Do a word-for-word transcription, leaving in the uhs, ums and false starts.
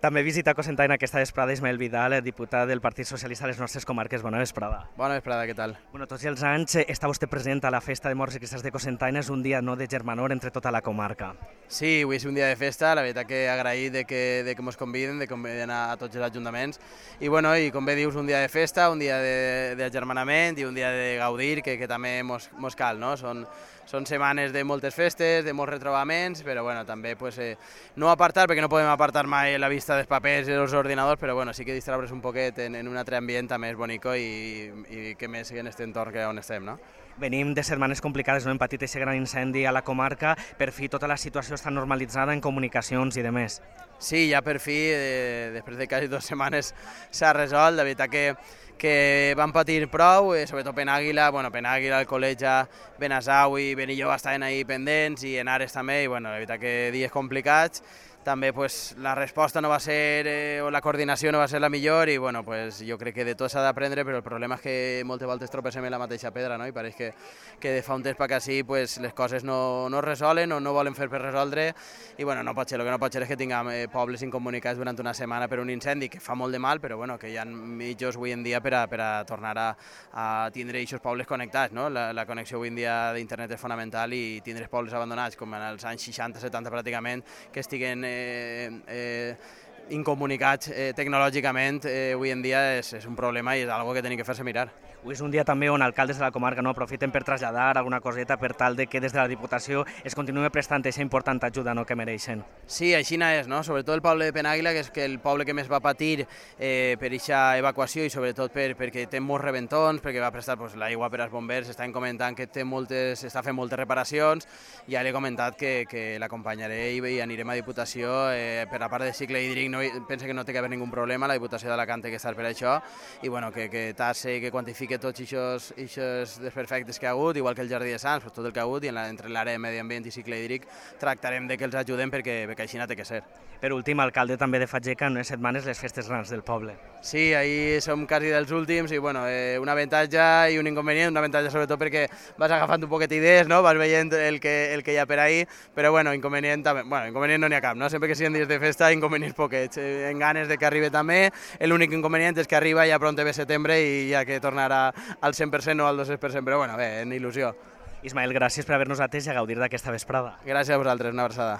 També visita Cocentaina aquesta vesprada Ismael Vidal, diputat del Partit Socialista a les nostres comarques. Bona vesprada. Bona vesprada, què tal? Bueno, tots els anys està vostè present a la festa de morts i cristalls de Cocentaina, és un dia no de germanor entre tota la comarca. Sí, avui és un dia de festa, la veritat que agraït de que, de que ens conviden, de que conviden a, a tots els ajuntaments, i bueno, i com bé dius, un dia de festa, un dia de, de agermanament i un dia de gaudir, que, que també mos, mos cal, no? Són, són setmanes de moltes festes, de molts retrobaments, però bueno, també pues, eh, no apartar, perquè no podem apartar mai la vista dels papers i dels ordinadors, però bueno, sí que distraure's un poquet en, en un altre ambient també és bonico i, i que més en aquest entorn que on estem, no? Venim de setmanes complicades, no hem patit aquest gran incendi a la comarca, per fi tota la situació està normalitzada en comunicacions i demés. Sí, ja per fi, eh, després de quasi dues setmanes s'ha resolt, la veritat que que van patir prou, eh, sobretot Penàguila, bueno, Penàguila, Alcoleja, Benasau i Benilloba estaven ahí pendents i en Ares també, i bueno, la veritat que dies complicats. També pues, la resposta no va ser, eh, o la coordinació no va ser la millor i bueno, pues, jo crec que de tot s'ha d'aprendre, però el problema és que moltes voltes tropecem en la mateixa pedra, no? I pareix que, que de fa un temps per així pues, les coses no, no es resolen o no volen fer per resoldre i bueno, no pot ser, el que no pot ser és que tinguem eh, pobles incomunicats durant una setmana per un incendi que fa molt de mal, però bueno, que hi ha mitjos avui en dia per a, per a tornar a, a tindre aquests pobles connectats, no? La, la connexió avui en dia d'internet és fonamental i tindre els pobles abandonats com en els anys seixanta setanta pràcticament que estiguen eh, Eh, eh, incomunicats eh, tecnològicament eh, avui en dia és, és un problema i és algo que tenim que fer-se mirar. Avui és un dia també on alcaldes de la comarca no aprofiten per traslladar alguna coseta per tal de que des de la Diputació es continue prestant aquesta important ajuda no, que mereixen. Sí, així és, no? Sobretot el poble de Penàguila, que és que el poble que més va patir eh, per aquesta evacuació i sobretot per, perquè té molts reventons, perquè va prestar pues, l'aigua per als bombers, estan comentant que té moltes, està fent moltes reparacions, ja li he comentat que, que l'acompanyaré i, i anirem a Diputació eh, per la part de cicle hídric, no, pensa que no té que haver ningú problema, la Diputació d'Alacant té que estar per això i bueno, que, que tase, que quantifique tots aquests desperfectes que ha hagut, igual que el Jardí de Sants, pues, tot el que ha hagut, i en la, entre l'àrea de medi ambient i cicle hídric tractarem de que els ajudem perquè, perquè així no té que ser. Per últim, alcalde també de Fageca, en unes setmanes les festes grans del poble. Sí, ahir som quasi dels últims i bueno, eh, un avantatge i un inconvenient, un avantatge sobretot perquè vas agafant un poquet idees, no? Vas veient el que, el que hi ha per ahir, però bueno, inconvenient també, bueno, inconvenient no n'hi ha cap, no? Sempre que siguin dies de festa, inconvenients poquets, eh, en ganes de que arribi també, l'únic inconvenient és que arriba ja pront ve setembre i ja que tornarà al cent per cent o al dos-cents per cent, però bueno, bé, en il·lusió. Ismael, gràcies per haver-nos atès i a gaudir d'aquesta vesprada. Gràcies a vosaltres, una abraçada.